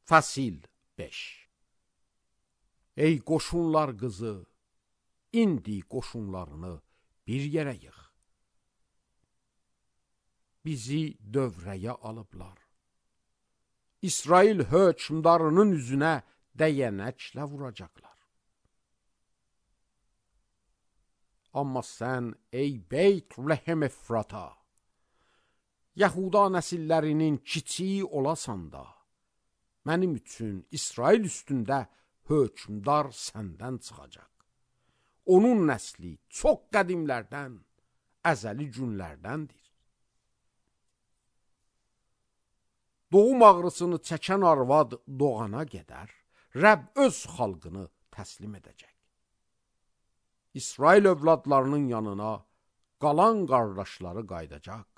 Fəsil 5. Ey qoşunlar qızı, indi qoşunlarını bir yerə yığ. Bizi dövrəyə alıblar. İsrail hökmdarının üzünə dəyənəklə vuracaqlar. Amma sən, ey Beyt-Lehem Efrata, Yahuda nəsillərinin kiçiyi olasan da, mənim üçün İsrail üstündə hökmdar səndən çıxacaq. Onun nəsli çox qədimlərdən, əzəli günlərdəndir. Doğum ağrısını çəkən arvad doğana qədər, Rəbb öz xalqını təslim edəcək. İsrail övladlarının yanına qalan qardaşları qaydacaq.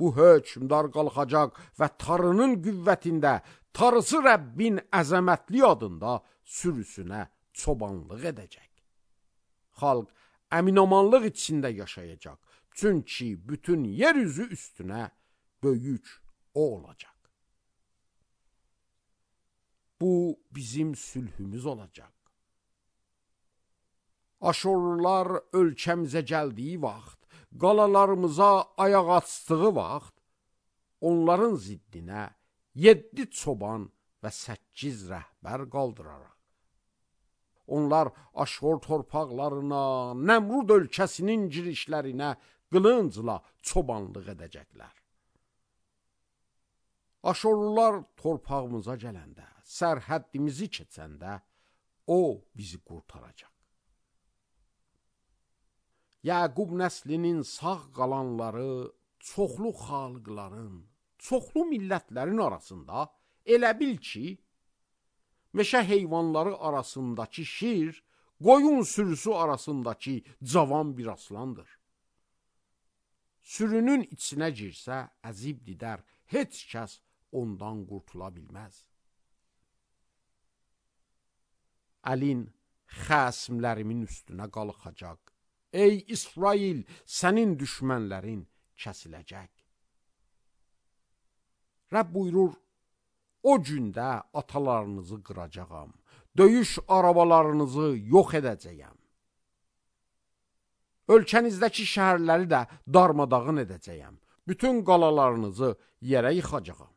Bu hökmdar qalxacaq və tarının qüvvətində, tarısı Rəbbin əzəmətli adında sürüsünə çobanlıq edəcək. Xalq əminamanlıq içində yaşayacaq, çünki bütün yer üzü üstünə böyük o olacaq. Bu bizim sülhümüz olacaq. Aşorlular ölkəmizə gəldiyi vaxt, qalalarımıza ayaq açdığı vaxt, onların ziddinə 7 çoban və 8 rəhbər qaldıraraq. Onlar Aşor torpaqlarına, Nəmrud ölkəsinin girişlərinə qılıncla çobanlıq edəcəklər. Aşorlular torpağımıza gələndə, sərhəddimizi keçəndə, o bizi qurtaracaq. Yaqub nəslinin sağ qalanları çoxlu xalqların, çoxlu millətlərin arasında elə bil ki, meşə heyvanları arasındakı şir, qoyun sürüsü arasındakı cavan bir aslandır. Sürünün içinə girsə əzib didər, heç kəs ondan qurtula bilməz. Əlin xəsmlərimin üstünə qalxacaq. Ey İsrail, sənin düşmənlərin kəsiləcək. Rəbb buyurur, o gündə atalarınızı qıracağam, döyüş arabalarınızı yox edəcəyəm. Ölkənizdəki şəhərləri də darmadağın edəcəyəm. Bütün qalalarınızı yerə yıxacağam.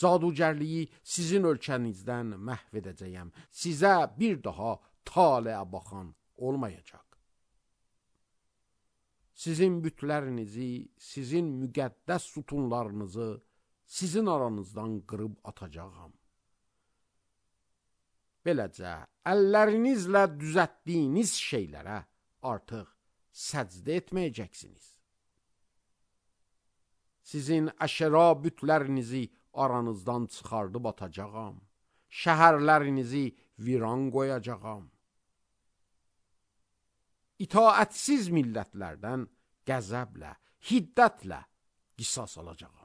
Cadugərliyi sizin ölkənizdən məhv edəcəyəm. Sizə bir daha taleyə baxan olmayacaq. Sizin bütlərinizi, sizin müqəddəs sütunlarınızı sizin aranızdan qırıb atacağam. Beləcə, əllərinizlə düzəltdiyiniz şeylərə artıq səcdə etməyəcəksiniz. Sizin əşəra bütlərinizi aranızdan çıxardıb atacağam. Şəhərlərinizi viran qoyacağam. İtaətsiz millətlərdən qəzəblə, hiddətlə qisas alacağam.